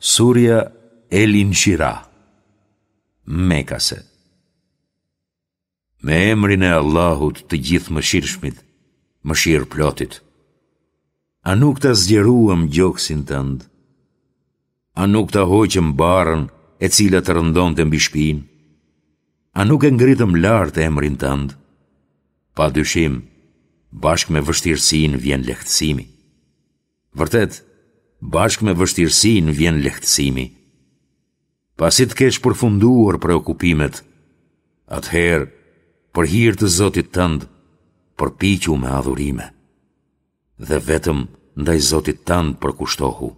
Surja El Inshirah, Mekase. Me emrin e Allahut të Gjithëmëshirshmit, Mëshirëplotit. A nuk ta zgjeruam gjoksin tënd? A nuk ta hoqëm barrën e cila të rëndonte mbi shpinë? A nuk e ngritëm lart emrin tënd? Pa dyshim, bashkë me vështirësinë vjen lehtësimi. Vërtet, bashkë me vështirësinë vjen lehtësimi. Pasi të kesh përfunduar preokupimet, atëherë, për hir të Zotit tënd, përpiqu me adhurime. Dhe vetëm ndaj Zotit tënd përkushtohu.